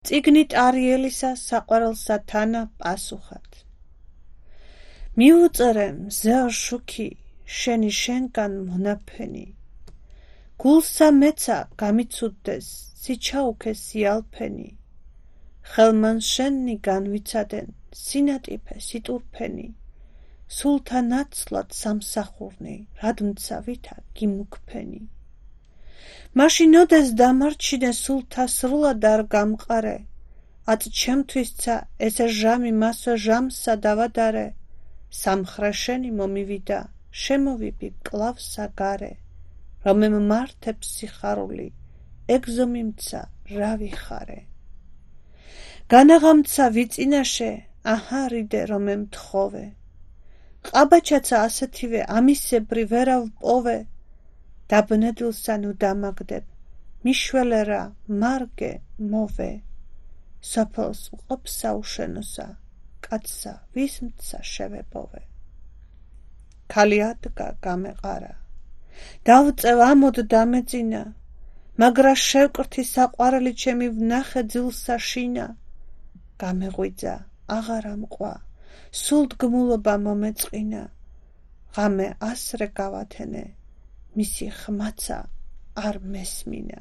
წიგნით არიელისა საყვარელსა თანა პასუხად. მიუწერე მზეო შუქი, შენი შენკან მონაფენი. გულსა მეცა გამიცუდდეს, სიჩაუქე სიალფენი. ხელმან შენი განვიცადენ, სინატიფე სიტურფენი. სულთა ნაცვლად სამსახურნი, რადმცა ვითა გიმუქფენი. მაშინ ოდეს დამარჩინე სულთა სრულად არ გამყარე. აწ ჩემთვისცა ესე ჟამი მასო ჟამსა დავადარე. სამხრა შენი მომივიდა, შემოვიბი კლავსა გარე. რომემ მართებს სიხარული, ეგზო მიმცა რა ვიხარე. განაღამცა ვიწინაშე, აჰა რიდე რომემ თხოვე. ყაბაჩაცა ასეთივე ამისებრი ვერა ვპოვე. დაბნედილსა ნუ დამაგდებ, მიშველე რა მარგე მოვე. სოფელს მყოფსა უშენოსა, კაცსა ვისმცა შევეპოვე. ქალი ადგა გამეყარა. დავწევ ამოდ დამეწინა, მაგრა შევკრთი საყვარელი ჩემი ვნახე ძილსა შინა. გამეღვიძა, აღარ ამყვა, სულდგმულობა მომეწყინა. ღამე ასრე გავათენე, მისი ხმაცა არ მესმინა.